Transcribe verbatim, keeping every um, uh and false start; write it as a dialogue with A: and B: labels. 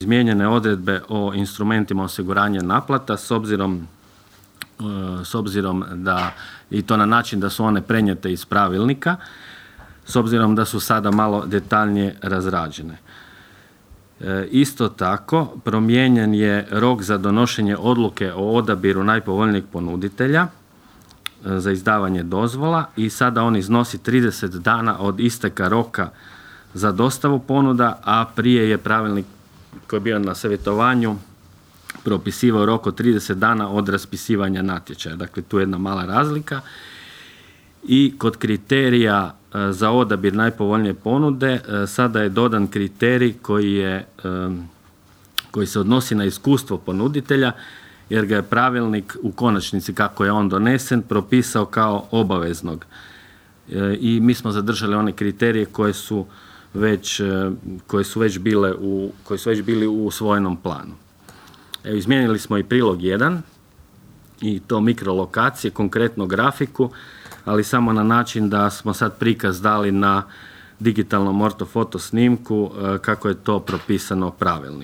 A: Izmijenjene odredbe o instrumentima osiguranja naplata s obzirom, s obzirom da, i to na način da su one prenijete iz pravilnika, s obzirom da su sada malo detaljnije razrađene. E, isto tako, promijenjen je rok za donošenje odluke o odabiru najpovoljnijeg ponuditelja e, za izdavanje dozvola i sada on iznosi trideset dana od isteka roka za dostavu ponuda, a prije je pravilnik koji je bio na savjetovanju propisivao rok od trideset dana od raspisivanja natječaja. Dakle, tu je jedna mala razlika. I kod kriterija e, za odabir najpovoljnije ponude e, sada je dodan kriterij koji, je, e, koji se odnosi na iskustvo ponuditelja, jer ga je pravilnik u konačnici, kako je on donesen, propisao kao obaveznog. E, I mi smo zadržali one kriterije koje su već, koje su već bile u, koji su već bili u usvojenom planu. Evo, izmijenili smo i prilog jedan i to mikrolokacije, konkretno grafiku, ali samo na način da smo sad prikaz dali na digitalnom ortofoto snimku kako je to propisano pravilnik.